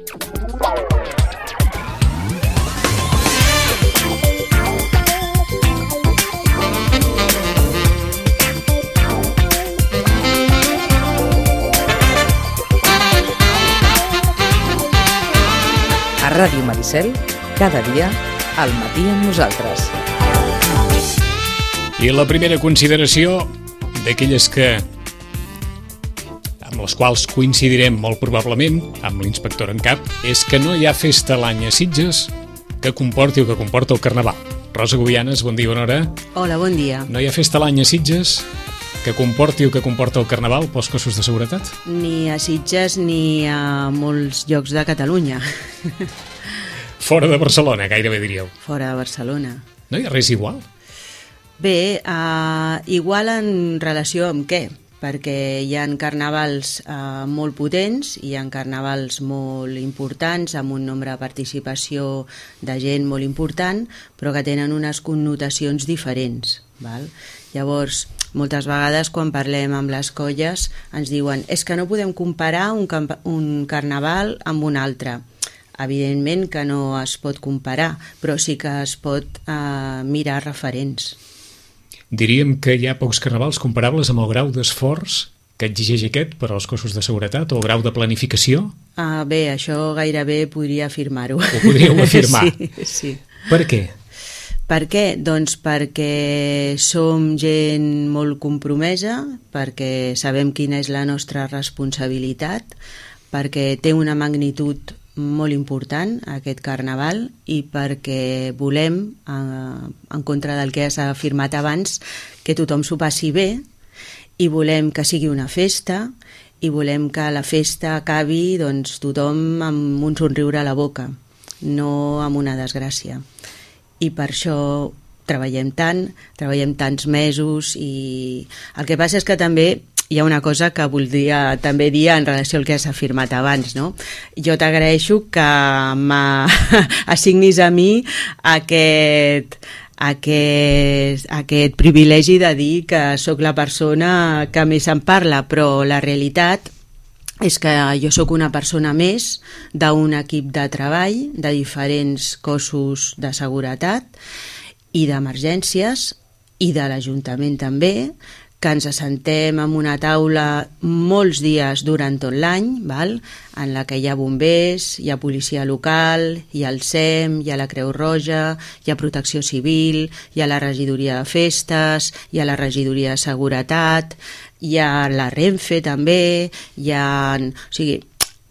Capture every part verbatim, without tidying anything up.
A Ràdio Maricel, cada dia, al matí amb nosaltres. I la primera consideració d'aquelles que amb les quals coincidirem molt probablement amb l'inspector en cap és que no hi ha festa a l'any a Sitges que comporti o que comporta el Carnaval. Rosa Gubianes, bon dia, bona hora. Hola, bon dia. No hi ha festa a l'any a Sitges que comporti o que comporta el Carnaval pels cossos de seguretat? Ni a Sitges ni a molts llocs de Catalunya. Fora de Barcelona, gairebé diríeu. Fora de Barcelona. No hi ha res igual? Bé, uh, igual en relació amb què? Perquè hi ha carnavals uh, molt potents, hi ha carnavals molt importants, amb un nombre de participació de gent molt important, però que tenen unes connotacions diferents. Val? Llavors, moltes vegades quan parlem amb les colles ens diuen és que no podem comparar un, un carnaval amb un altre. Evidentment que no es pot comparar, però sí que es pot uh, mirar referents. Diríem que hi ha pocs carnavals comparables amb el grau d'esforç que exigeix aquest per als cossos de seguretat o el grau de planificació? Uh, bé, això gairebé podria afirmar-ho. Ho podríeu afirmar? Sí, sí. Per què? Per què? Doncs perquè som gent molt compromesa, perquè sabem quina és la nostra responsabilitat, perquè té una magnitud molt important aquest carnaval i perquè volem, eh, en contra del que s'ha afirmat abans, que tothom s'ho passi bé i volem que sigui una festa i volem que la festa acabi doncs, tothom amb un somriure a la boca, no amb una desgràcia. I per això treballem tant, treballem tants mesos i el que passa és que també hi ha una cosa que voldria també dir en relació al que has afirmat abans, no? Jo t'agraeixo que m'assignis a mi aquest, aquest, aquest privilegi de dir que sóc la persona que més en parla, però la realitat és que jo sóc una persona més d'un equip de treball de diferents cossos de seguretat i d'emergències i de l'Ajuntament també, que ens assentem en una taula molts dies durant tot l'any, val? En la que hi ha bombers, hi ha policia local, hi ha el S E M, hi ha la Creu Roja, hi ha Protecció Civil, hi ha la regidoria de festes, hi ha la regidoria de seguretat, hi ha la Renfe també, hi ha... O sigui,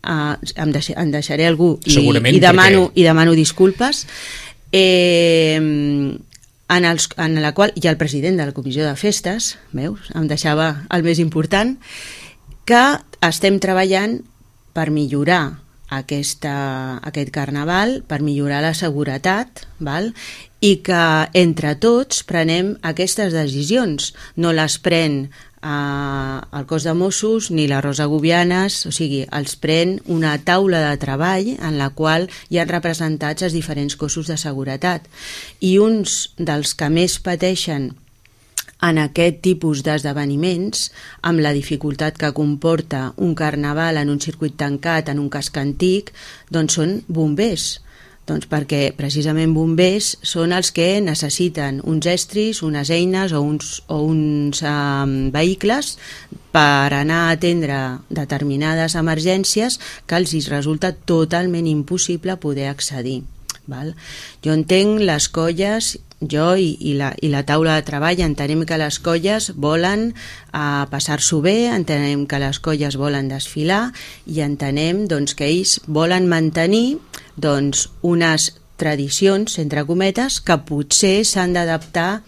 uh, em, deix em deixaré algú i, i, demano, i demano disculpes. Eh... En, els, en la qual hi ha el president de la Comissió de Festes, veus? Em deixava el més important, que estem treballant per millorar aquesta, aquest carnaval, per millorar la seguretat, val? I que entre tots prenem aquestes decisions. No les pren eh, el cos de Mossos ni la Rosa Gubianes, o sigui, els pren una taula de treball en la qual hi ha representats els diferents cossos de seguretat. I uns dels que més pateixen en aquest tipus d'esdeveniments, amb la dificultat que comporta un carnaval en un circuit tancat, en un casc antic, doncs són bombers. Doncs perquè precisament bombers són els que necessiten uns estris, unes eines o uns, o uns um, vehicles per anar a atendre determinades emergències que els resulta totalment impossible poder accedir. Val? Jo entenc les colles, jo i, i, la, i la taula de treball entenem que les colles volen uh, passar-s'ho bé, entenem que les colles volen desfilar i entenem doncs, que ells volen mantenir doncs, unes tradicions, entre cometes, que potser s'han d'adaptar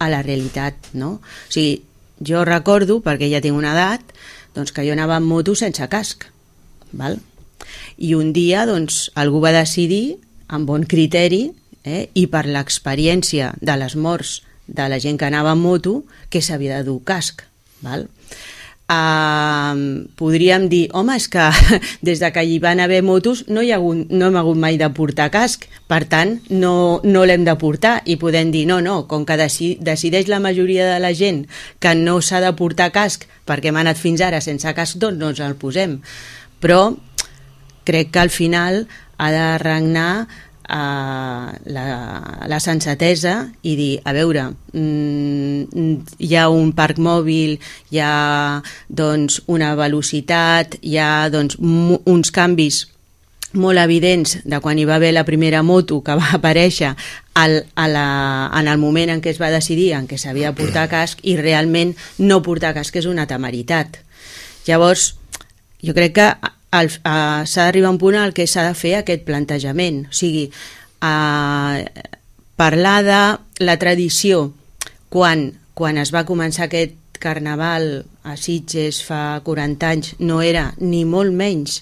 a la realitat, no? O sigui, jo recordo, perquè ja tinc una edat, doncs, que jo anava amb moto sense casc, val? I un dia doncs, algú va decidir, amb bon criteri, eh, i per l'experiència de les morts de la gent que anava amb moto, que s'havia de dur casc, val? Uh, podríem dir, home, és que des de que hi van haver motos no, hi ha hagut, no hem hagut mai de portar casc, per tant no, no l'hem de portar, i podem dir, no, no, com que deci decideix la majoria de la gent que no s'ha de portar casc perquè hem anat fins ara sense casc, doncs no ens el posem. Però crec que al final ha de regnar uh, la, la sensatesa i dir, a veure, mm, hi ha un parc mòbil, hi ha doncs, una velocitat, hi ha doncs, uns canvis molt evidents de quan hi va haver la primera moto que va aparèixer al, a la, en el moment en què es va decidir en què s'havia de portar casc, i realment no portar casc és una temeritat. Llavors, jo crec que el, uh, s'ha d'arribar a un punt al que s'ha de fer aquest plantejament, o sigui, uh, parlar de la tradició quan, quan es va començar aquest carnaval a Sitges fa quaranta anys no era ni molt menys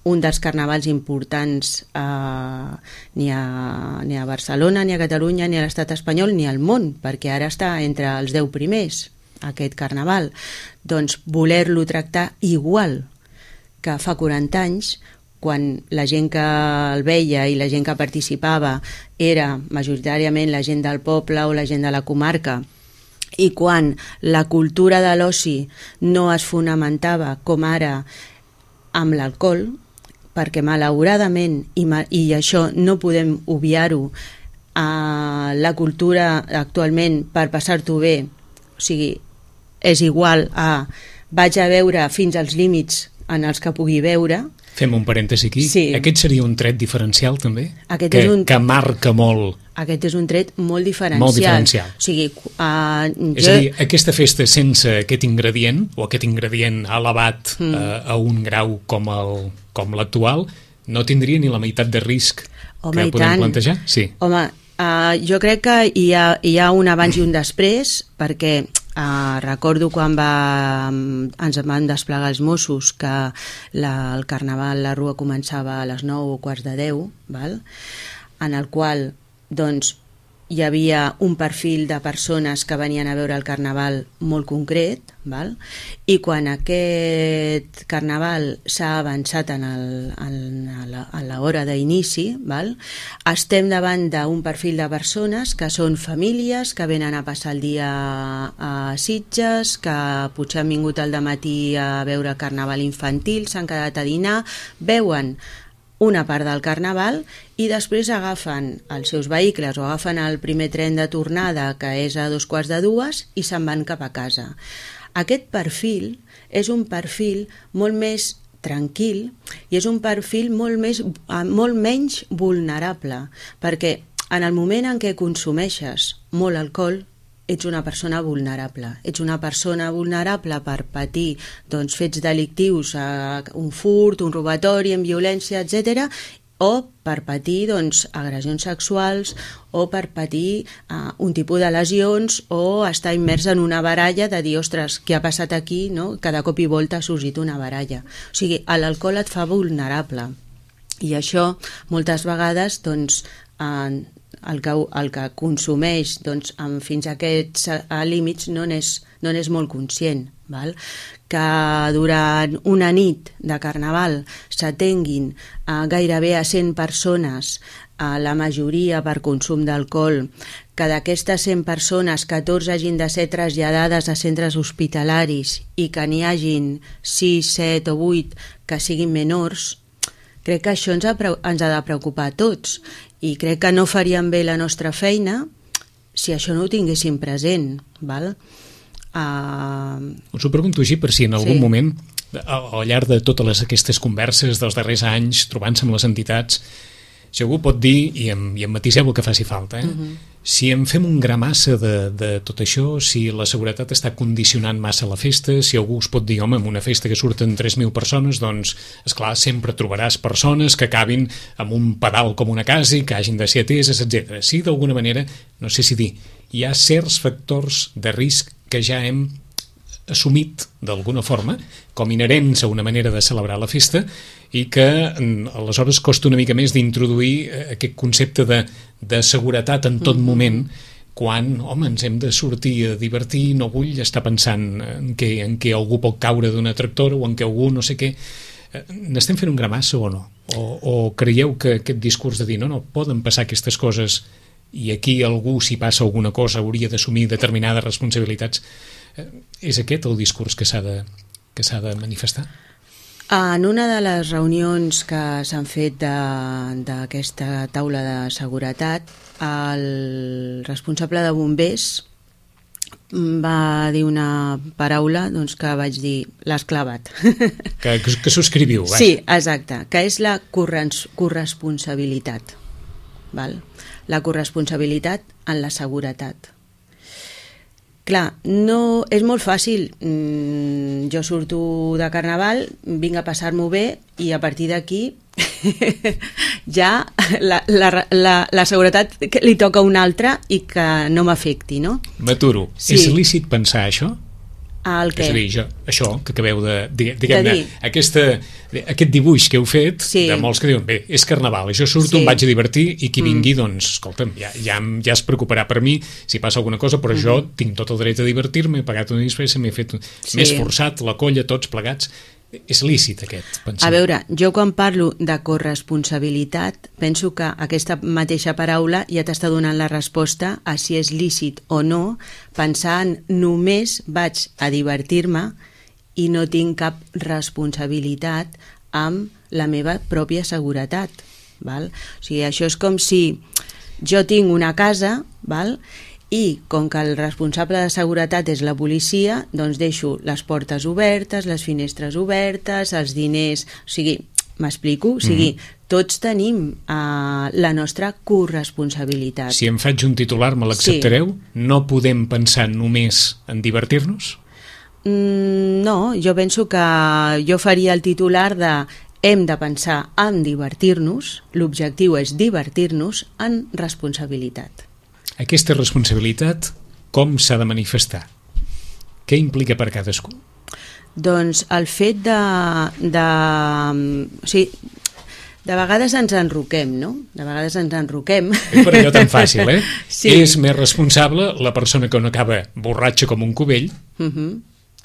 un dels carnavals importants eh, ni, a, ni a Barcelona, ni a Catalunya, ni a l'estat espanyol, ni al món, perquè ara està entre els deu primers, aquest carnaval. Doncs voler-lo tractar igual que fa quaranta anys, quan la gent que el veia i la gent que participava era majoritàriament la gent del poble o la gent de la comarca, i quan la cultura de l'oci no es fonamentava com ara amb l'alcohol, perquè malauradament, i, i això no podem obviar-ho, eh, la cultura actualment per passar-t'ho bé, o sigui, és igual a vaig a veure fins als límits en els que pugui veure. Fem un parèntesi aquí. Sí. Aquest seria un tret diferencial, també? Aquest que, és un... que marca molt... Aquest és un tret molt diferencial. Molt diferencial. O sigui, uh, és jo... a dir, aquesta festa sense aquest ingredient, o aquest ingredient elevat mm. uh, a un grau com el, com l'actual, no tindria ni la meitat de risc Home, que podem tant. plantejar? Sí. Home, uh, jo crec que hi ha, hi ha un abans i un després, perquè uh, recordo quan va, ens van desplegar els Mossos que la, el carnaval, la rua començava a les nou o quarts de deu, val? En el qual doncs hi havia un perfil de persones que venien a veure el carnaval molt concret, val? I quan aquest carnaval s'ha avançat en, el, en la, a l'hora d'inici, val? Estem davant d'un perfil de persones que són famílies, que venen a passar el dia a Sitges, que potser han vingut al dematí a veure el carnaval infantil, s'han quedat a dinar, veuen una part del carnaval i després agafen els seus vehicles o agafen el primer tren de tornada, que és a dos quarts de dues, i se'n van cap a casa. Aquest perfil és un perfil molt més tranquil i és un perfil molt, més, molt menys vulnerable, perquè en el moment en què consumeixes molt alcohol ets una persona vulnerable. Ets una persona vulnerable per patir doncs, fets delictius, eh, un furt, un robatori, en violència, etcètera, o per patir doncs, agressions sexuals, o per patir eh, un tipus de lesions, o estar immers en una baralla de dir, ostres, què ha passat aquí? No? Cada cop i volta ha sorgit una baralla. O sigui, l'alcohol et fa vulnerable. I això, moltes vegades, doncs, eh, el que, el que consumeix doncs, amb, fins a aquests a límits no n'és no n'és molt conscient, val? Que durant una nit de carnaval s'atenguin eh, gairebé a cent persones, eh, la majoria per consum d'alcohol, que d'aquestes cent persones catorze hagin de ser traslladades a centres hospitalaris i que n'hi hagin sis, set o vuit que siguin menors, crec que això ens ha, ens ha de preocupar a tots. I crec que no faríem bé la nostra feina si això no ho tinguéssim present, val? Uh... Us ho pregunto així per si en algun sí. moment, al, al llarg de totes les, aquestes converses dels darrers anys, trobant-se amb les entitats, si algú pot dir, i em, i em matiseu el que faci falta, eh? Uh-huh. Si en fem un gra massa de, de tot això, si la seguretat està condicionant massa la festa, si algú us pot dir, home, en una festa que surten tres mil persones, doncs, esclar, sempre trobaràs persones que acabin amb un pedal com una casa i que hagin de ser ateses, etcètera. Si d'alguna manera, no sé si dir, hi ha certs factors de risc que ja hem assumit d'alguna forma com inherents a una manera de celebrar la festa i que aleshores costa una mica més d'introduir aquest concepte de, de seguretat en tot mm-hmm. moment quan, home, ens hem de sortir a divertir, no vull estar pensant en què, en què algú pot caure d'una tractora o en què algú no sé què. N'estem fent un gra massa o no? O, o creieu que aquest discurs de dir no, no, poden passar aquestes coses i aquí algú, si passa alguna cosa, hauria d'assumir determinades responsabilitats, és aquest el discurs que s'ha de, que s'ha de manifestar? En una de les reunions que s'han fet d'aquesta taula de seguretat, el responsable de bombers va dir una paraula doncs, que vaig dir, l'has clavat. Que, que, que subscriviu, vaja. Sí, exacte, que és la corresponsabilitat. Val? La corresponsabilitat en la seguretat. Clar, no, és molt fàcil. Mm, jo surto de Carnaval, vinc a passar-m'ho bé i a partir d'aquí ja la, la, la, la seguretat que li toca a un altre i que no m'afecti, no? M'aturo. Sí. És lícit pensar això? El què? És a dir, jo, això que acabeu de... Diguem-ne, de aquesta, aquest dibuix que heu fet, sí. de molts que diuen, bé, és Carnaval, jo surto, sí. em vaig a divertir i qui vingui, mm. doncs, escolta'm, ja, ja, ja es preocuparà per mi si passa alguna cosa, però mm. jo tinc tot el dret a divertir-me, he pagat una disfressa, m'he fet sí. més forçat, la colla, tots plegats. És lícit aquest pensament. A veure, jo quan parlo de corresponsabilitat penso que aquesta mateixa paraula ja t'està donant la resposta a si és lícit o no, pensant només vaig a divertir-me i no tinc cap responsabilitat amb la meva pròpia seguretat. Val? O sigui, això és com si jo tinc una casa, val? I com que el responsable de seguretat és la policia, doncs deixo les portes obertes, les finestres obertes, els diners... O sigui, m'explico? O sigui, mm-hmm. tots tenim uh, la nostra corresponsabilitat. Si em faig un titular, me l'acceptareu? Sí. No podem pensar només en divertir-nos? Mm, no, jo penso que jo faria el titular de hem de pensar en divertir-nos, l'objectiu és divertir-nos en responsabilitat. Aquesta responsabilitat, com s'ha de manifestar? Què implica per cadascú? Doncs el fet de... de o sigui, de vegades ens enroquem, no? De vegades ens enroquem. És per allò tan fàcil, eh? Sí. És més responsable la persona que no acaba borratxa com un cubell uh-huh.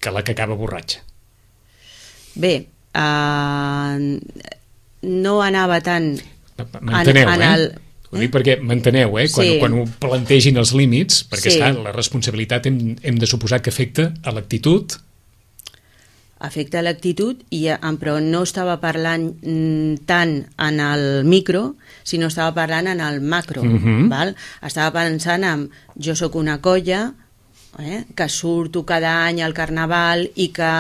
que la que acaba borratxa. Bé, uh, no anava tant... M'enteneu, en, en eh? el... Ho dic perquè m'enteneu, eh? Quan, sí. quan ho plantegin els límits, perquè sí. esclar, la responsabilitat hem, hem de suposar que afecta a l'actitud. Afecta a l'actitud, i, però no estava parlant tant en el micro, sinó estava parlant en el macro. Uh-huh. Val? Estava pensant en jo sóc una colla eh, que surto cada any al Carnaval i que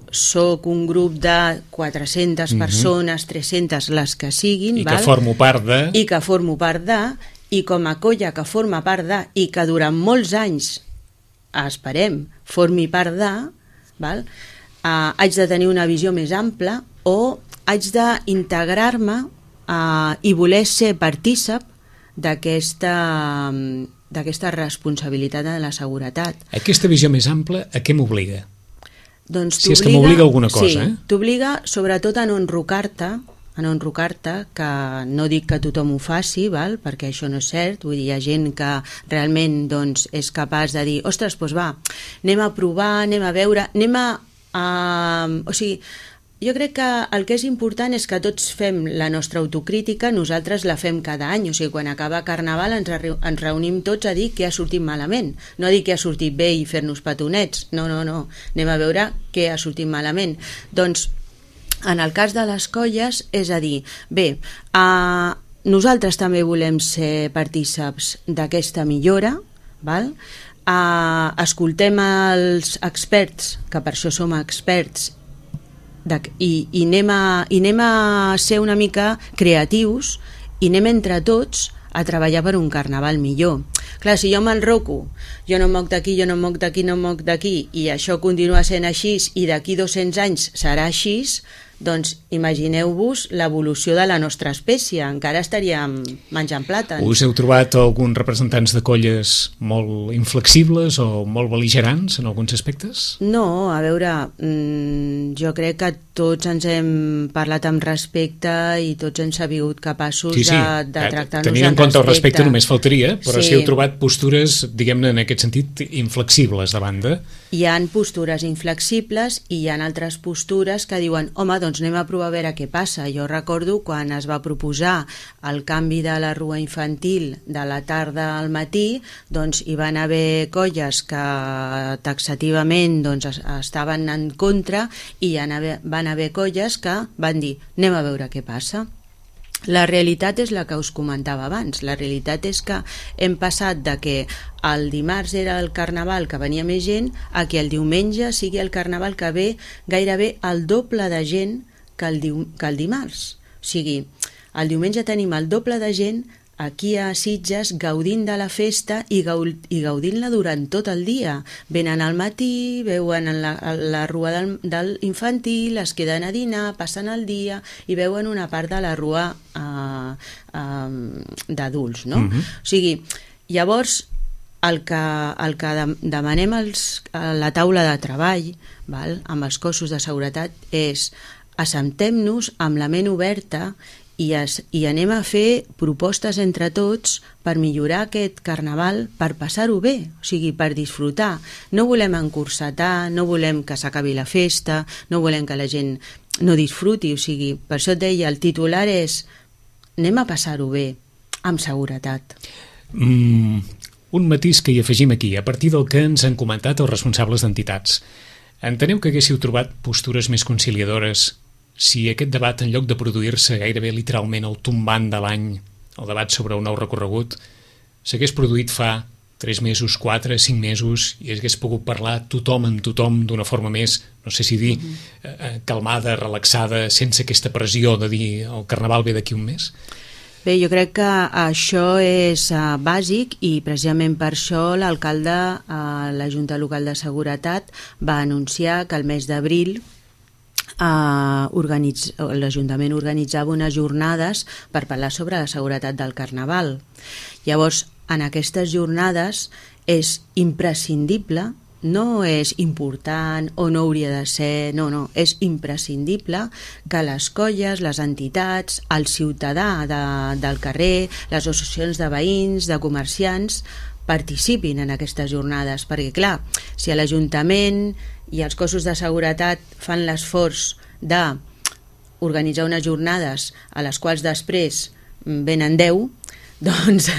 soc un grup de quatre-centes uh-huh. persones, tres-centes, les que siguin, i val? que formo part de... I que formo part de, i com a colla que forma part de, i que durant molts anys, esperem, formi part de, val? Uh, haig de tenir una visió més ampla o haig d'integrar-me uh, i voler ser partícip d'aquesta d'aquesta responsabilitat de la seguretat. Aquesta visió més ampla, a què m'obliga? Doncs si és que m'obliga alguna cosa, sí, eh? T'obliga sobretot a no enrocar-te, a no enrocar-te, que no dic que tothom ho faci, val? Perquè això no és cert, vull dir, hi ha gent que realment doncs, és capaç de dir, ostres, doncs va, anem a provar, anem a veure, anem a... a... O sigui, jo crec que el que és important és que tots fem la nostra autocrítica, nosaltres la fem cada any, o sigui, quan acaba Carnaval ens, ens reunim tots a dir què ha sortit malament, no a dir què ha sortit bé i fer-nos petonets, no, no, no, anem a veure què ha sortit malament. Doncs, en el cas de les colles, és a dir, bé, eh, nosaltres també volem ser partíceps d'aquesta millora, val? Eh, escoltem els experts, que per això som experts, De, i, i, anem a, i anem a ser una mica creatius i anem entre tots a treballar per un Carnaval millor. Clar, si jo m'enroco, jo no em moc d'aquí, jo no em moc d'aquí, no em moc d'aquí, i això continua sent així, i d'aquí dos-cents anys serà així, doncs imagineu-vos l'evolució de la nostra espècie, encara estaríem menjant plàtans. Us heu trobat alguns representants de colles molt inflexibles o molt bel·ligerants en alguns aspectes? No, a veure, mmm, jo crec que tots ens hem parlat amb respecte i tots hem sabut capaços sí, sí. de, de tractar-nos amb respecte. Tenint en compte el respecte només faltaria, però sí. si heu trobat postures, diguem-ne, en aquest sentit, inflexibles de banda. Hi ha postures inflexibles i hi ha altres postures que diuen, home, doncs doncs anem a provar a veure què passa. Jo recordo quan es va proposar el canvi de la rua infantil de la tarda al matí, doncs hi van haver colles que taxativament doncs, estaven en contra i hi van haver colles que van dir anem a veure què passa. La realitat és la que us comentava abans. La realitat és que hem passat de que el dimarts era el carnaval que venia més gent a que el diumenge sigui el carnaval que ve gairebé el doble de gent que el, diu que el dimarts. O sigui, el diumenge tenim el doble de gent aquí a Sitges gaudint de la festa i, gau i gaudint-la durant tot el dia. Venen al matí, veuen la, la rua del, del infantil, es queden a dinar, passen el dia i veuen una part de la rua uh, uh, d'adults, no? Uh-huh. O sigui, llavors el que, el que demanem als, a la taula de treball, val, amb els cossos de seguretat és assentem-nos amb la ment oberta I, es, i anem a fer propostes entre tots per millorar aquest carnaval, per passar-ho bé, o sigui, per disfrutar. No volem encursetar, no volem que s'acabi la festa, no volem que la gent no disfruti, o sigui, per això et deia, el titular és anem a passar-ho bé, amb seguretat. Mm, un matís que hi afegim aquí, a partir del que ens han comentat els responsables d'entitats. Enteneu que haguéssiu trobat postures més conciliadores si aquest debat, en lloc de produir-se gairebé literalment el tombant de l'any, el debat sobre un nou recorregut, s'hagués produït fa tres mesos, quatre, cinc mesos, i hagués pogut parlar tothom amb tothom d'una forma més, no sé si dir, eh, calmada, relaxada, sense aquesta pressió de dir el carnaval ve d'aquí un mes? Bé, jo crec que això és uh, bàsic i precisament per això l'alcalde a uh, la Junta Local de Seguretat va anunciar que el mes d'abril Uh, organitz... l'Ajuntament organitzava unes jornades per parlar sobre la seguretat del carnaval. Llavors, en aquestes jornades és imprescindible, no és important o no hauria de ser, no, no, és imprescindible que les colles, les entitats, el ciutadà de, del carrer, les associacions de veïns, de comerciants, participin en aquestes jornades, perquè clar, si a l'Ajuntament i els cossos de seguretat fan l'esforç d'organitzar unes jornades a les quals després venen deu, doncs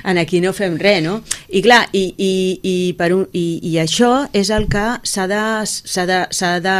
en aquí no fem res, no? I clar, i, i, i, per un, i, i això és el que s'ha de, s'ha de, s'ha de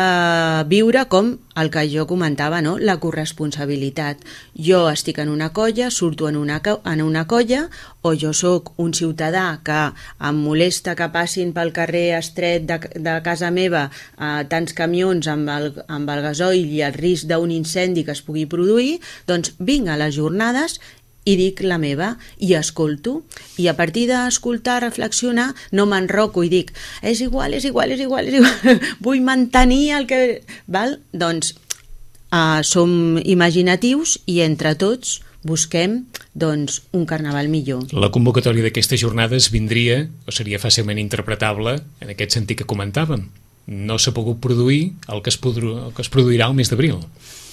viure com el que jo comentava, no? La corresponsabilitat. Jo estic en una colla, surto en una, en una colla, o jo sóc un ciutadà que em molesta que passin pel carrer estret de, de casa meva eh, tants camions amb el, amb el gasoil i el risc d'un incendi que es pugui produir, doncs vinc a les jornades i dic la meva i escolto, i a partir d'escoltar, reflexionar, no m'enroco i dic és igual, és igual, és igual, és igual. Vull mantenir el que... Val? Doncs uh, som imaginatius i entre tots busquem doncs, un carnaval millor. La convocatòria d'aquestes jornades vindria, o seria fàcilment interpretable, en aquest sentit que comentàvem. No s'ha pogut produir el que es, podru... el que es produirà el mes d'abril.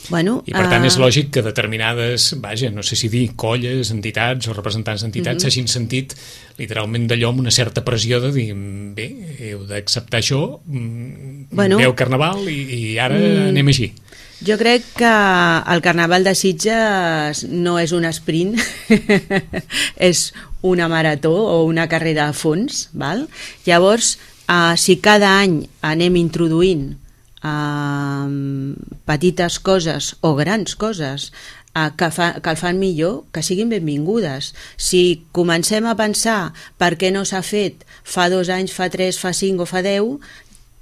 Bueno, I per tant uh... és lògic que determinades, vaja, no sé si dir colles, entitats o representants d'entitats s'hagin uh-huh. sentit literalment d'allò amb una certa pressió de dir, bé, heu d'acceptar això, bueno, veu carnaval i, i ara mm, anem així. Jo crec que el carnaval de Sitges no és un sprint, és una marató o una carrera a fons, val? Llavors, uh, si cada any anem introduint Uh, petites coses o grans coses uh, que, fa, que el fan millor, que siguin benvingudes. Si comencem a pensar per què no s'ha fet fa dos anys, fa tres, fa cinc o fa deu,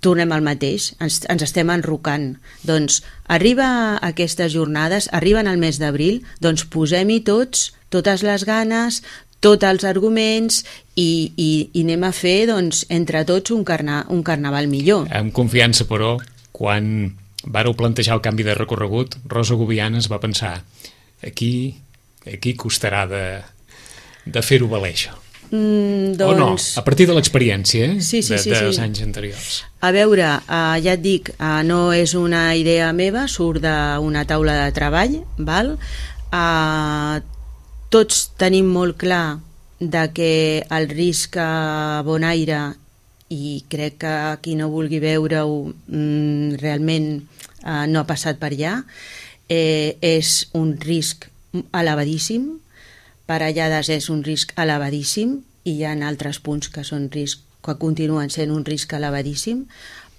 tornem al mateix, ens, ens estem enrocant. Doncs arriba aquestes jornades, arriben al mes d'abril, doncs posem-hi tots, totes les ganes, tots els arguments i, i, i anem a fer doncs, entre tots un, carna, un carnaval millor. Amb confiança, però, quan vàreu plantejar el canvi de recorregut, Rosa Gubiana es va pensar aquí, aquí costarà de, de fer-ho valer això. Mm, doncs... O no? A partir de l'experiència eh? sí, sí, de, sí, dels sí. anys anteriors. A veure, uh, ja et dic, uh, no és una idea meva, surt d'una taula de treball, val? Uh, tots tenim molt clar de que el risc a Bonaire i crec que qui no vulgui veure-ho mm, realment eh, no ha passat per allà, eh, és un risc elevadíssim, parellades és un risc elevadíssim, i hi ha altres punts que són risc, que continuen sent un risc elevadíssim.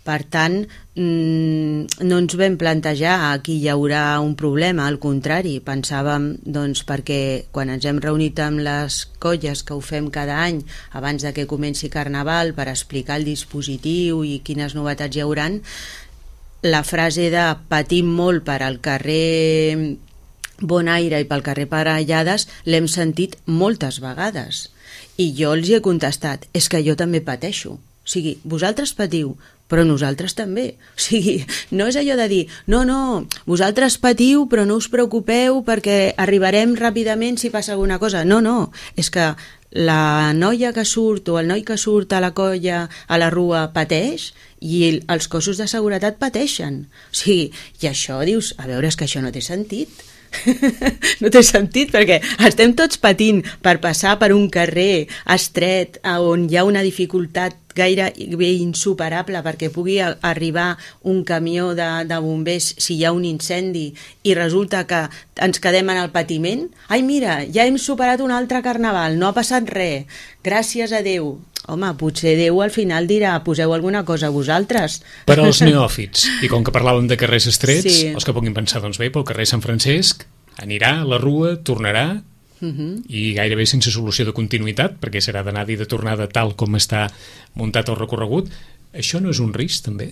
Per tant, mmm, no ens vam plantejar aquí hi haurà un problema, al contrari, pensàvem, doncs, perquè quan ens hem reunit amb les colles que ho fem cada any abans de que comenci Carnaval per explicar el dispositiu i quines novetats hi hauran, la frase de patim molt per al carrer Bonaire i pel carrer Parellades l'hem sentit moltes vegades, i jo els hi he contestat, és que jo també pateixo. O sigui, vosaltres patiu, però nosaltres també. O sigui, no és allò de dir, no, no, vosaltres patiu, però no us preocupeu perquè arribarem ràpidament si passa alguna cosa. No, no, és que la noia que surt o el noi que surt a la colla, a la rua, pateix, i els cossos de seguretat pateixen. O sigui, i això dius, a veure, és que això no té sentit. No té sentit, perquè estem tots patint per passar per un carrer estret on hi ha una dificultat gairebé insuperable perquè pugui arribar un camió de, de bombers si hi ha un incendi, i resulta que ens quedem en el patiment. Ai, mira, ja hem superat un altre Carnaval, no ha passat res, gràcies a Déu. Home, potser Déu al final dirà, poseu alguna cosa a vosaltres. Per als neòfits, i com que parlàvem de carrers estrets, sí, els que puguin pensar, doncs bé, pel carrer Sant Francesc anirà a la rua, tornarà, uh-huh, i gairebé sense solució de continuïtat, perquè serà d'anada i de tornada tal com està muntat el recorregut. Això no és un risc, també?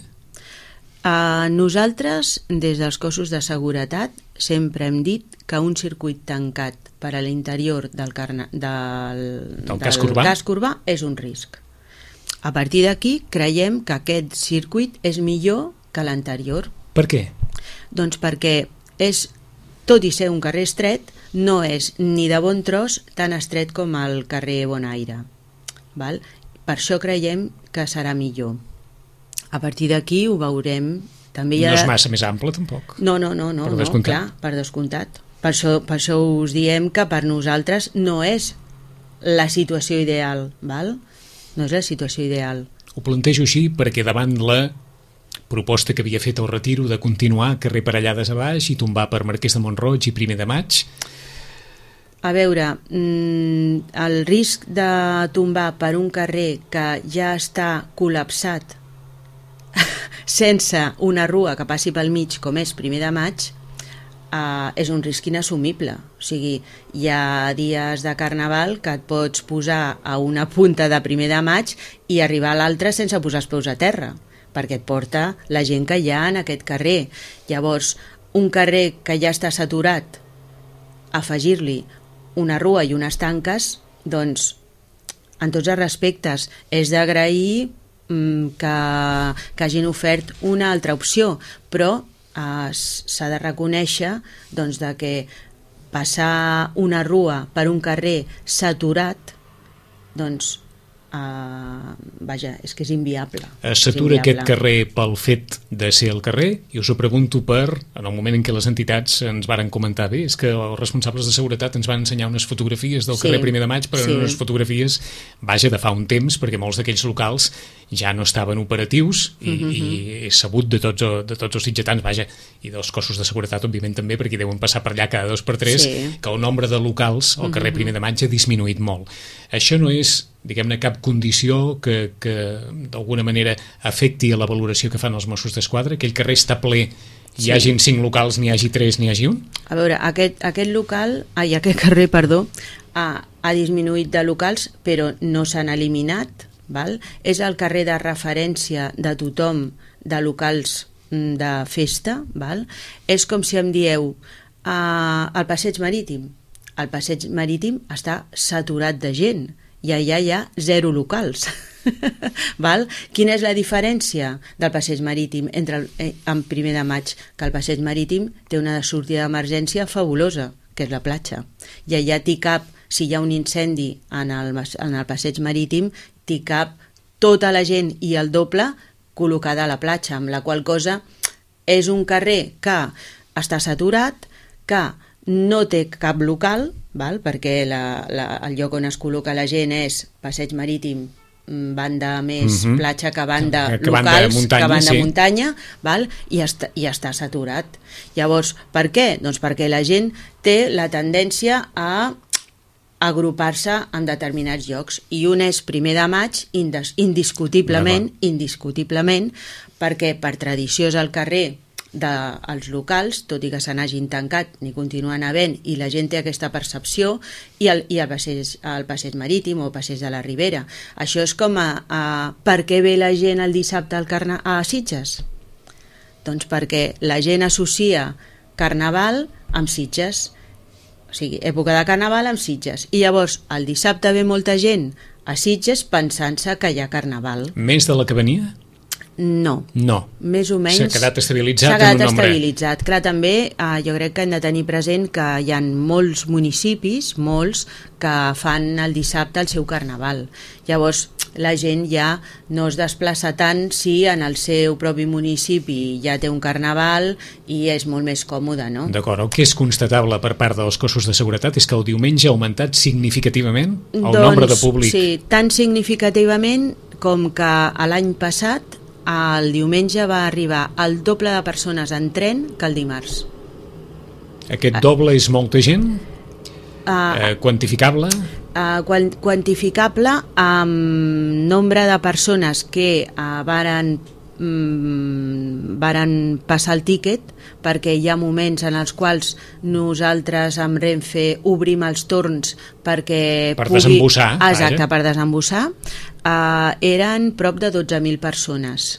Uh, nosaltres, des dels cossos de seguretat, sempre hem dit que un circuit tancat per a l'interior del, carna, del, del, del casc urbà? casc urbà és un risc. A partir d'aquí creiem que aquest circuit és millor que l'anterior. Per què? Doncs perquè és, tot i ser un carrer estret, no és ni de bon tros tan estret com el carrer Bonaire. Val? Per això creiem que serà millor. A partir d'aquí ho veurem. També hi ha... No és massa més ample, tampoc? No, no, no, no, per no, clar, per descomptat. Per això, per això us diem que per nosaltres no és la situació ideal, val? No és la situació ideal. Ho plantejo així perquè davant la proposta que havia fet el Retiro de continuar carrer Parellades a baix i tombar per Marquès de Mont-roig i primer de maig... A veure, el risc de tombar per un carrer que ja està col·lapsat sense una rua que passi pel mig, com és primer de maig, eh, és un risc inassumible. O sigui, hi ha dies de Carnaval que et pots posar a una punta de primer de maig i arribar a l'altra sense posar els peus a terra, perquè et porta la gent que hi ha en aquest carrer. Llavors, un carrer que ja està saturat, afegir-li una rua i unes tanques, doncs, en tots els respectes, és d'agrair que, que hagin ofert una altra opció, però eh, s'ha de reconèixer doncs, de que passar una rua per un carrer saturat, doncs, eh, vaja, és que és inviable. Es satura aquest carrer pel fet de ser el carrer, i us ho pregunto per, en el moment en què les entitats ens varen comentar, bé, és que els responsables de seguretat ens van ensenyar unes fotografies del sí, carrer primer de maig, però sí, unes fotografies, vaja, de fa un temps, perquè molts d'aquells locals ja no estaven operatius i, uh-huh. i és sabut de tots, de tots els sitgetans, vaja, i dels cossos de seguretat, òbviament també, perquè deuen passar per allà cada dos per tres, sí, que el nombre de locals al carrer uh-huh. primer de maig ha disminuït molt. Això no és, diguem-ne, cap condició que, que d'alguna manera afecti a la valoració que fan els Mossos d'Esquadra, que el carrer està ple, hi sí. hagin cinc locals, n'hi hagi tres, n'hi hagi un? A veure, aquest, aquest local, ai, aquest carrer, perdó, ha, ha disminuït de locals, però no s'han eliminat, val? És el carrer de referència de tothom de locals de festa, val? És com si em dieu uh, el passeig marítim. El passeig marítim està saturat de gent i allà hi ha zero locals. Val? Quina és la diferència del passeig marítim entre el, eh, en primer de maig? Que el passeig marítim té una sortida d'emergència fabulosa, que és la platja, i allà t'hi cap, si hi ha un incendi en el, en el passeig marítim, t'hi cap tota la gent i el doble col·locada a la platja, amb la qual cosa és un carrer que està saturat, que no té cap local, val? Perquè la, la, el lloc on es col·loca la gent és passeig marítim banda més uh-huh. platja que banda que locals, banda muntanya, que banda sí. muntanya, val? I, està, i està saturat. Llavors, per què? Doncs perquè la gent té la tendència a agrupar-se en determinats llocs, i un és primer de maig indiscutiblement, indiscutiblement, perquè per tradició és el carrer dels locals, tot i que se n'hagin tancat ni continuen havent, i la gent té aquesta percepció, i el, i el, passeig, el passeig marítim o passeig de la Ribera. Això és com a, a per què ve la gent el dissabte al carna, a Sitges? Doncs perquè la gent associa carnaval amb Sitges, o sigui, època de carnaval amb Sitges, i llavors el dissabte ve molta gent a Sitges pensant-se que hi ha carnaval. Més de la que venia? No. No. Més o menys. S'ha quedat estabilitzat S'ha quedat en un nombre. estabilitzat. Clar, també eh, jo crec que hem de tenir present que hi ha molts municipis, molts, que fan el dissabte el seu carnaval. Llavors, la gent ja no es desplaça tant si en el seu propi municipi ja té un carnaval i és molt més còmode, no? D'acord. El que és constatable per part dels cossos de seguretat és que el diumenge ha augmentat significativament el doncs, nombre de públic. Sí, tan significativament com que l'any passat el diumenge va arribar el doble de persones en tren que el dimarts. Aquest doble és molta gent? Uh, eh, quantificable? Uh, quantificable amb nombre de persones que uh, varen, um, varen passar el tíquet, perquè hi ha moments en els quals nosaltres amb Renfe obrim els torns perquè per pugui... desembussar. Exacte, vaja. per desembussar. Uh, eren prop de dotze mil persones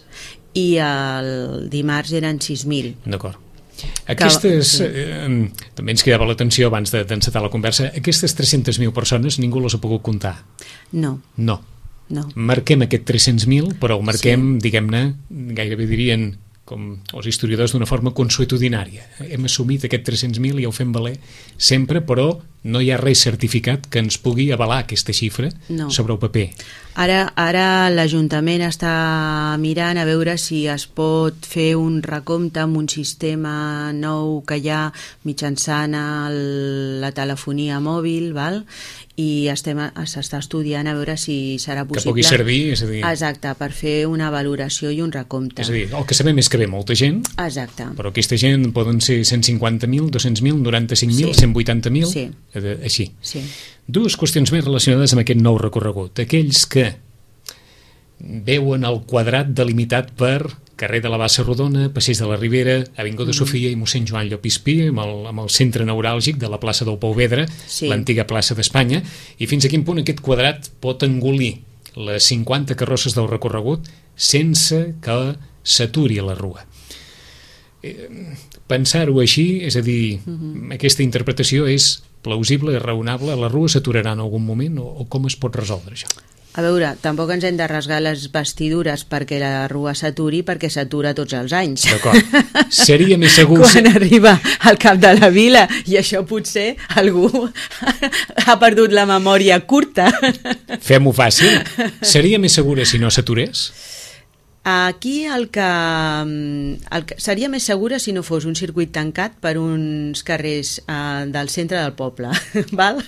i el dimarts eren sis mil. D'acord. Aquestes, que... eh, també ens cridava l'atenció abans d'encetar la conversa, aquestes tres-centes mil persones ningú les ha pogut comptar? No. No. No. Marquem aquest tres-cents mil, però ho marquem, sí. diguem-ne, gairebé dirien com els historiadors d'una forma consuetudinària. Hem assumit aquest tres-cents mil i ho fem valer sempre, però no hi ha res certificat que ens pugui avalar aquesta xifra no. sobre el paper. Ara, ara l'Ajuntament està mirant a veure si es pot fer un recompte amb un sistema nou que hi ha mitjançant el, la telefonia mòbil, val? I s'està estudiant a veure si serà possible. Que pugui servir, és a dir... Exacte, per fer una valoració i un recompte. És a dir, el que sabem és que ve molta gent, exacte. Però aquesta gent poden ser cent cinquanta mil, dos-cents mil, noranta-cinc mil, sí. cent vuitanta mil, sí. així. Sí. Dues qüestions més relacionades amb aquest nou recorregut. Aquells que veuen el quadrat delimitat per carrer de la Bassa Rodona, Passeig de la Ribera, Avinguda mm. Sofia i mossèn Joan Llopispí, amb el, amb el centre neuràlgic de la plaça del Pou Vedra, sí. l'antiga plaça d'Espanya, i fins a quin punt aquest quadrat pot engolir les cinquanta carrosses del recorregut sense que s'aturi la rua. Eh, pensar-ho així, és a dir, mm-hmm. aquesta interpretació és plausible i raonable, la rua s'aturarà en algun moment o, o com es pot resoldre això? A veure, tampoc ens hem de rasgar les vestidures perquè la rua s'aturi, perquè s'atura tots els anys. D'acord. Seria més segur... Quan arriba al cap de la vila, i això potser algú ha perdut la memòria curta. Fem-ho fàcil. Seria més segura si no s'aturés? Aquí el que, el que seria més segura si no fos un circuit tancat per uns carrers uh, del centre del poble. Val?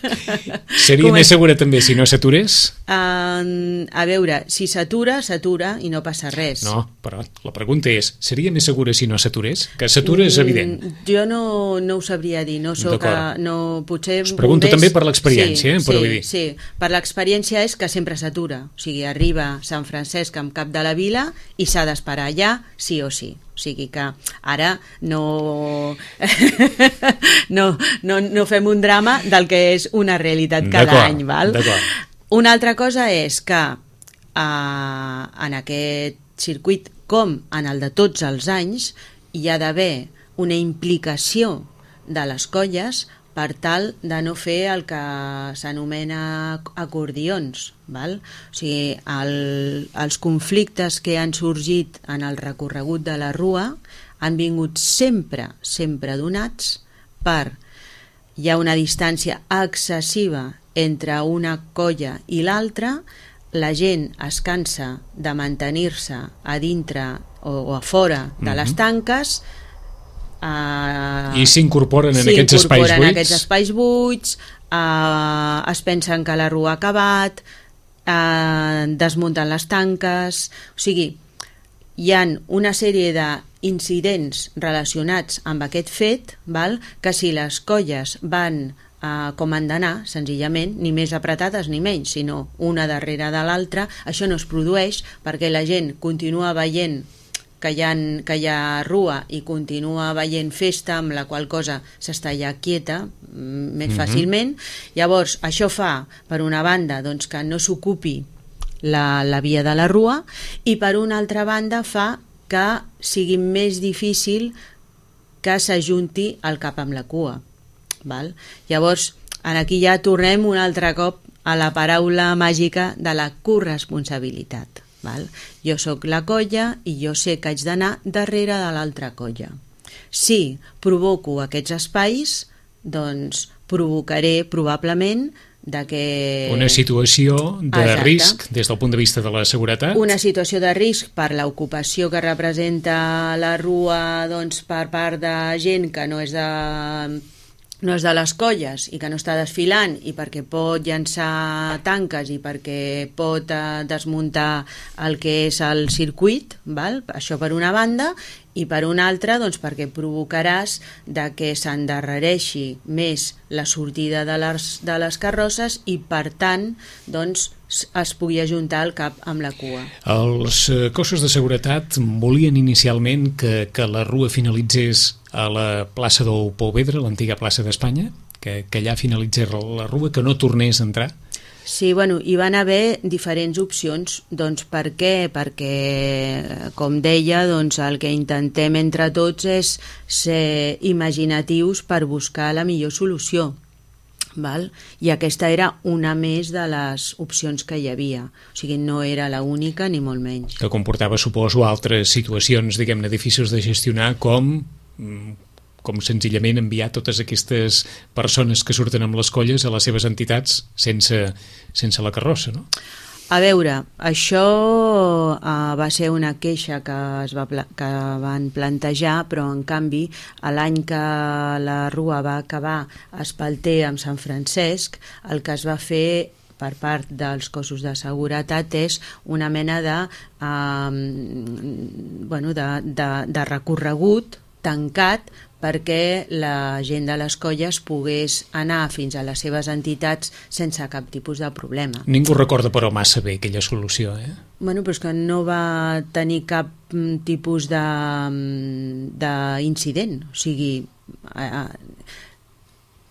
Seria Com més és? segura també si no s'aturés? Uh, a veure, si s'atura, s'atura i no passa res. No, però la pregunta és, seria més segura si no s'aturés? Que s'atura és evident. Mm, jo no, no ho sabria dir, no soc a, no, potser us pregunto bombers... també per l'experiència, sí, eh, però sí, vull dir. Sí, per l'experiència és que sempre s'atura, o sigui, arriba Sant Francesc amb cap de la vila i s'ha d'esperar allà sí o sí. O sigui que ara no... no, no, no fem un drama del que és una realitat cada any. Val? Una altra cosa és que uh, en aquest circuit, com en el de tots els anys, hi ha d'haver una implicació de les colles per tal de no fer el que s'anomena acordions. Val? O sigui, el, els conflictes que han sorgit en el recorregut de la rua han vingut sempre, sempre donats per hi ha una distància excessiva entre una colla i l'altra, la gent es cansa de mantenir-se a dintre o, o a fora de mm-hmm. les tanques. Uh, I s'incorporen en aquests espais buits? en aquests espais buits, uh, es pensen que la rua ha acabat, eh, desmuntant les tanques, o sigui, hi ha una sèrie d'incidents relacionats amb aquest fet, val? Que si les colles van uh, com han d'anar, senzillament, ni més apretades ni menys, sinó una darrere de l'altra, això no es produeix perquè la gent continua veient que hi, ha, que hi ha rua i continua veient festa, amb la qual cosa s'està ja quieta més mm-hmm. fàcilment. Llavors, això fa, per una banda, doncs, que no s'ocupi La, la via de la rua, i per una altra banda fa que sigui més difícil que s'ajunti el cap amb la cua, val? Llavors, aquí ja tornem un altre cop a la paraula màgica de la corresponsabilitat, val? Jo sóc la colla i jo sé que haig d'anar darrere de l'altra colla. Si provoco aquests espais, doncs provocaré probablement de que... Una situació de Exacte. risc des del punt de vista de la seguretat. Una situació de risc per l'ocupació que representa la rua, doncs, per part de gent que no és de, no és de les colles i que no està desfilant, i perquè pot llançar tanques i perquè pot eh, desmuntar el que és el circuit, val? Això per una banda, i per una altra, doncs, perquè provocaràs de que s'endarrereixi més la sortida de les, de les carrosses i, per tant, doncs, es pugui ajuntar el cap amb la cua. Els cossos de seguretat volien inicialment que, que la rua finalitzés a la plaça del Pouvedre, l'antiga plaça d'Espanya, que, que allà finalitzés la rua, que no tornés a entrar. Sí, bueno, hi van haver diferents opcions. Doncs per què? Perquè, com deia, doncs el que intentem entre tots és ser imaginatius per buscar la millor solució. Val? I aquesta era una més de les opcions que hi havia. O sigui, no era l'única ni molt menys. Que comportava, suposo, altres situacions, diguem-ne, difícils de gestionar, com... com senzillament enviar totes aquestes persones que surten amb les colles a les seves entitats sense, sense la carrossa, no? A veure, això uh, va ser una queixa que, es va pla que van plantejar, però en canvi l'any que la rua va acabar a Espalter amb Sant Francesc, el que es va fer per part dels cossos de seguretat és una mena de, uh, bueno, de, de, de recorregut tancat perquè la gent de les colles pogués anar fins a les seves entitats sense cap tipus de problema. Ningú recorda però massa bé aquella solució, eh? Bueno, però és que no va tenir cap tipus de d'incident, o sigui...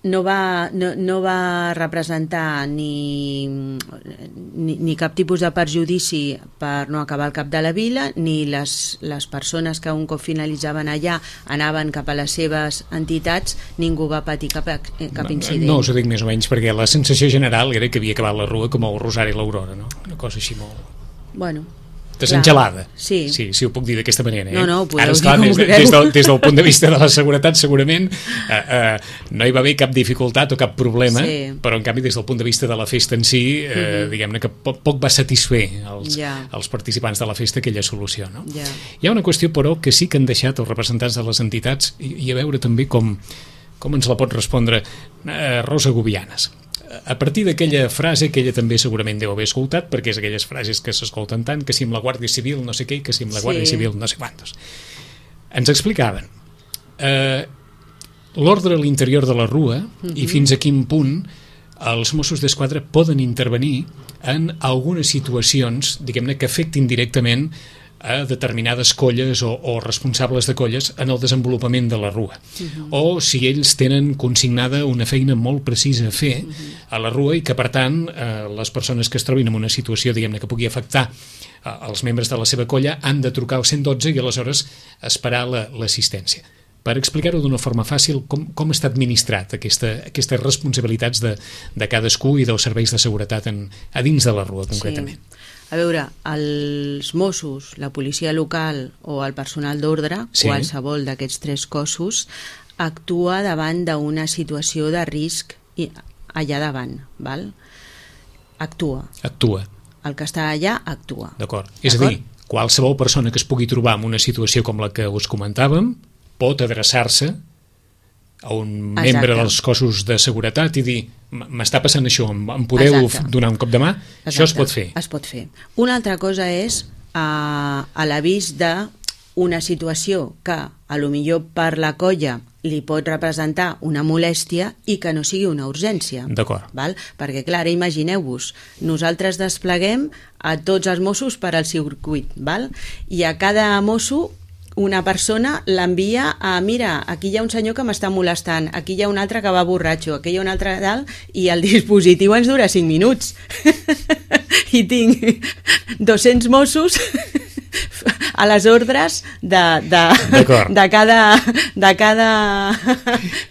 No va, no, no va representar ni, ni, ni cap tipus de perjudici per no acabar al cap de la vila, ni les, les persones que un cop finalitzaven allà anaven cap a les seves entitats, ningú va patir cap, cap incident. No, us ho dic més o menys, perquè la sensació general era que havia acabat la rua com el Rosari i l'Aurora, no? Una cosa així molt... Bueno... desengelada, sí. sí, si ho puc dir d'aquesta manera, eh? No, no, ara, esclar, des, des, del, des del punt de vista de la seguretat segurament eh, eh, no hi va haver cap dificultat o cap problema, sí. Però en canvi des del punt de vista de la festa en si eh, uh-huh. diguem-ne que poc, poc va satisfer els, yeah. els participants de la festa aquella solució, no? Yeah. Hi ha una qüestió però que sí que han deixat els representants de les entitats i, i a veure també com, com ens la pot respondre eh, Rosa Gubianes. A partir d'aquella frase que ella també segurament deu haver escoltat, perquè és aquelles frases que s'escolten tant, que si amb la Guàrdia Civil no sé què, que si amb la Guàrdia sí. Civil no sé quantos. Ens explicaven eh, l'ordre a l'interior de la rua uh-huh. i fins a quin punt els Mossos d'Esquadra poden intervenir en algunes situacions, diguem-ne, que afectin directament a determinades colles o, o responsables de colles en el desenvolupament de la rua. Uh-huh. O si ells tenen consignada una feina molt precisa a fer uh-huh. a la rua i que, per tant, eh, les persones que es trobin en una situació, diguem-ne, que pugui afectar eh, els membres de la seva colla han de trucar al cent dotze i aleshores esperar l'assistència. La, per explicar-ho d'una forma fàcil, com, com està administrat aquesta, aquestes responsabilitats de, de cadascú i dels serveis de seguretat en, a dins de la rua, concretament. Sí. A veure, els Mossos, la policia local o el personal d'ordre, sí. qualsevol d'aquests tres cossos, actua davant d'una situació de risc allà davant, val? Actua. Actua. El que està allà actua. D'acord. És a dir, qualsevol persona que es pugui trobar en una situació com la que us comentàvem pot adreçar-se a un Exacte. membre dels cossos de seguretat i dir, m'està passant això, em podeu Exacte. donar un cop de mà? Exacte. Això es pot fer. Es pot fer. Una altra cosa és a, a l'avís d'una situació que a lo millor per la colla li pot representar una molèstia i que no sigui una urgència. D'acord. Val? Perquè, clar, imagineu-vos, nosaltres despleguem a tots els Mossos per al circuit, val? I a cada mosso una persona l'envia a, mira, aquí hi ha un senyor que m'està molestant, aquí hi ha un altre que va borratxo, aquí hi ha un altre dalt, i el dispositiu ens dura cinc minuts. I tinc dos-cents Mossos a les ordres de, de, de, cada, de, cada,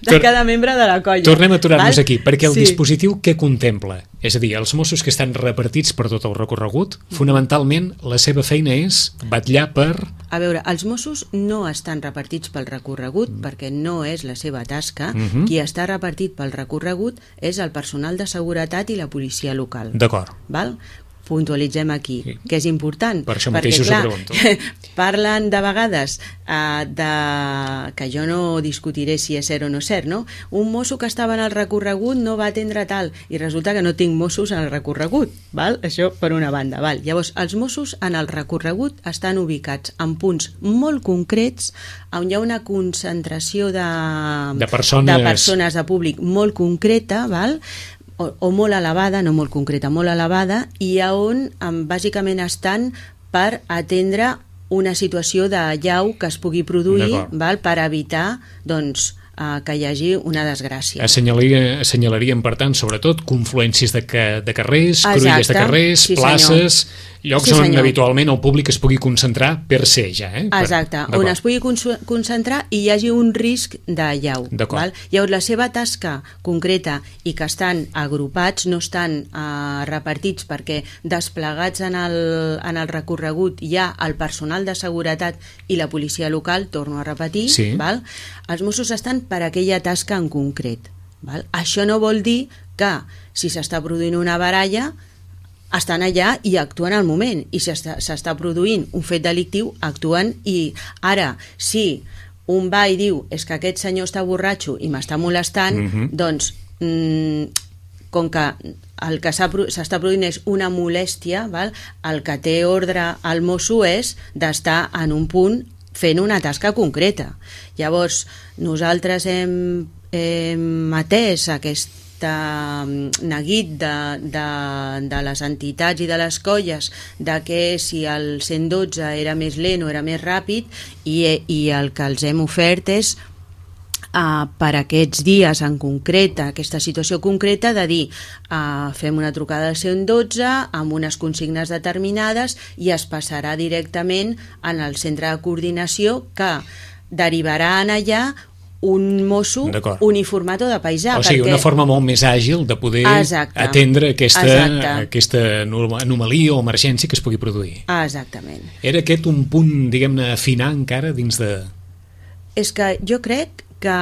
de cada membre de la colla. Tornem a aturar-nos aquí, perquè el sí. dispositiu què contempla? És a dir, els Mossos que estan repartits per tot el recorregut, fonamentalment la seva feina és vetllar per... A veure, els Mossos no estan repartits pel recorregut mm. perquè no és la seva tasca. Mm-hmm. Qui està repartit pel recorregut és el personal de seguretat i la policia local. D'acord. Val? Puntualitzem aquí, sí. que és important. Per això perquè, mateix us clar, ho pregunto. Parlen de vegades uh, de... que jo no discutiré si és cert o no cert, no? Un mosso que estava en el recorregut no va atendre tal, i resulta que no tinc Mossos en el recorregut, val? Això per una banda, val? Llavors, els Mossos en el recorregut estan ubicats en punts molt concrets on hi ha una concentració de, de, persones... de persones de públic molt concreta, val? O, o molt elevada, no molt concreta, molt elevada, i on bàsicament estan per atendre una situació de llau que es pugui produir, val, per evitar doncs, eh, que hi hagi una desgràcia. Assenyalaria, assenyalaríem, per tant, sobretot confluències de, ca, de carrers, Exacte. cruïlles de carrers, sí, places, llocs sí, on senyor. habitualment el públic es pugui concentrar per ser ja. Eh? Exacte, per, on es pugui concentrar i hi hagi un risc de llau. Val? Llavors la seva tasca concreta i que estan agrupats, no estan eh, repartits perquè desplegats en el, en el recorregut hi ha el personal de seguretat i la policia local, torno a repetir, sí. val? Els Mossos estan per aquella tasca en concret. Val? Això no vol dir que si s'està produint una baralla estan allà i actuen al moment, i si s'està produint un fet delictiu actuen. I ara, si un va i diu és que aquest senyor està borratxo i m'està molestant, mm-hmm. doncs mm, com que el que s'està produint és una molèstia, val? El que té ordre al mosso és d'estar en un punt fent una tasca concreta. Llavors, nosaltres hem, hem atès aquest neguit de, de, de les entitats i de les colles de que si el cent dotze era més lent o era més ràpid, i, i el que els hem ofert és uh, per aquests dies en concret, aquesta situació concreta, de dir uh, fem una trucada al cent dotze amb unes consignes determinades i es passarà directament en el centre de coordinació que derivarà en allà un mosso uniformat o de paisà. O sigui, perquè... una forma molt més àgil de poder Exacte. atendre aquesta, aquesta anomalia o emergència que es pugui produir. Exactament. Era aquest un punt, diguem-ne, afinar encara dins de... És que jo crec que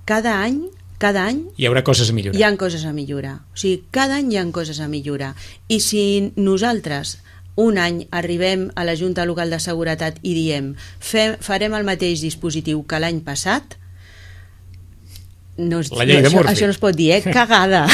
cada any cada any hi haurà coses a millorar. Hi ha coses a millorar. O sigui, cada any hi ha coses a millorar. I si nosaltres un any arribem a la Junta Local de Seguretat i diem fem, farem el mateix dispositiu que l'any passat, no, la llei de això, Murphy. Això no es pot dir, eh? Cagada.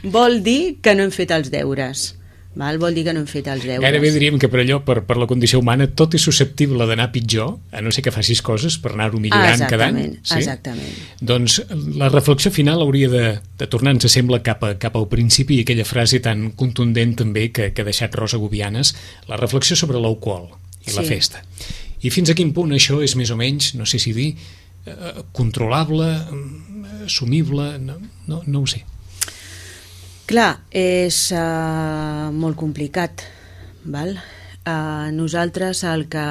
Vol dir que no hem fet els deures. Val? Vol dir que no hem fet els deures. Gairebé diríem que per allò, per, per la condició humana, tot és susceptible d'anar pitjor, a no ser que facis coses per anar-ho millorant ah, cada any. Sí? Exactament. Doncs la reflexió final hauria de, de tornar, ens sembla, cap, a, cap al principi, i aquella frase tan contundent també que, que ha deixat Rosa Gubianes, la reflexió sobre l'alcohol i sí. la festa. I fins a quin punt això és més o menys, no sé si dir, controlable, assumible, no, no, no ho sé. Clar, és uh, molt complicat, val? Uh, nosaltres el que,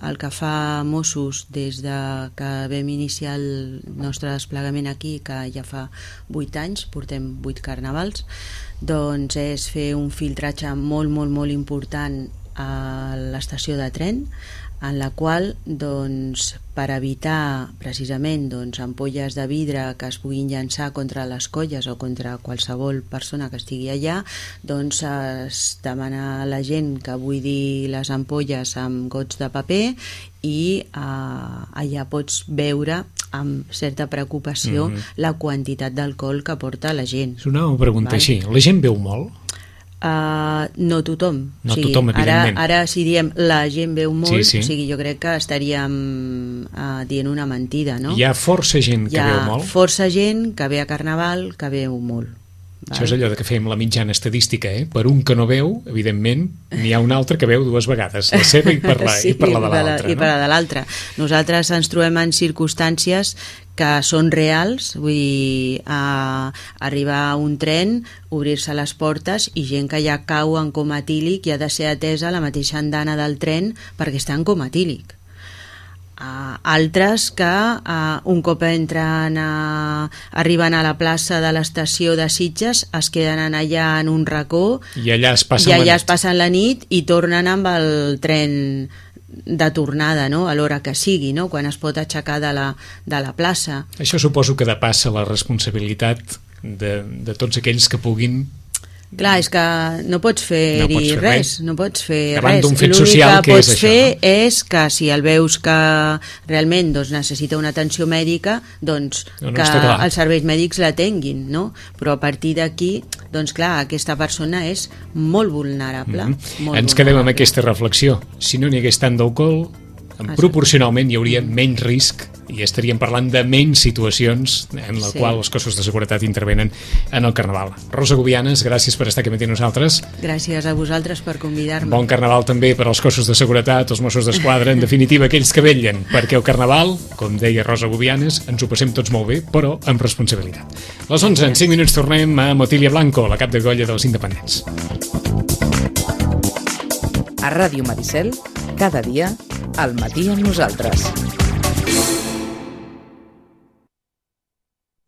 el que fa Mossos des de que vam iniciar el nostre desplegament aquí, que ja fa vuit anys, portem vuit carnavals, doncs és fer un filtratge molt, molt, molt important a l'estació de tren, en la qual, doncs, per evitar precisament doncs, ampolles de vidre que es puguin llançar contra les colles o contra qualsevol persona que estigui allà, doncs es demana a la gent que buidi les ampolles amb gots de paper i eh, allà pots veure amb certa preocupació mm-hmm. la quantitat d'alcohol que porta la gent. És una pregunta val? Així, la gent beu molt? Uh, no tothom, no o sigui, tothom ara, ara si diem la gent veu molt, sí, sí. O sigui, jo crec que estaríem uh, dient una mentida, no? Hi ha força gent que Hi ha veu molt? força gent que ve a Carnaval que veu molt. Val? Això és allò de que fem la mitjana estadística, eh? Per un que no veu, evidentment, n'hi ha un altre que veu dues vegades, la seva i per la, sí, i per la de l'altra. I no? per la de l'altra. Nosaltres ens trobem en circumstàncies que són reals, vull dir, a arribar a un tren, obrir-se les portes i gent que ja cau en coma etílic i ha de ser atesa a la mateixa andana del tren perquè està en coma etílic. Uh, altres que uh, un cop entren a, arriben a la plaça de l'estació de Sitges es queden allà en un racó i allà es passen, i allà la, es passen la nit i tornen amb el tren de tornada, no? A l'hora que sigui, no? Quan es pot aixecar de la, de la plaça. Això suposo que depassa la responsabilitat de, de tots aquells que puguin. Clar, és que no pots fer-hi no pots fer res, res, no pots fer davant res. d'un fet L'únic social que, que pots és fer això, no? és que si el veus que realment doncs, necessita una atenció mèdica, doncs no, no, que els serveis mèdics l'atenguin, no? Però a partir d'aquí, doncs clar, aquesta persona és molt vulnerable. Mm-hmm. Molt Ens vulnerable. quedem amb aquesta reflexió. Si no n'hi hagués tant d'alcohol, proporcionalment hi hauria menys risc i estaríem parlant de menys situacions en la sí. qual els cossos de seguretat intervenen en el Carnaval. Rosa Gubianes, gràcies per estar aquí amb nosaltres. Gràcies a vosaltres per convidar-me. Bon Carnaval també per als cossos de seguretat, els Mossos d'Esquadra, en definitiva aquells que vetllen, perquè el Carnaval, com deia Rosa Gubianes, ens ho passem tots molt bé, però amb responsabilitat. A les onze, en cinc minuts tornem a Motilia Blanco, la cap de colla dels independents. A Ràdio Maricel, cada dia, al matí amb nosaltres.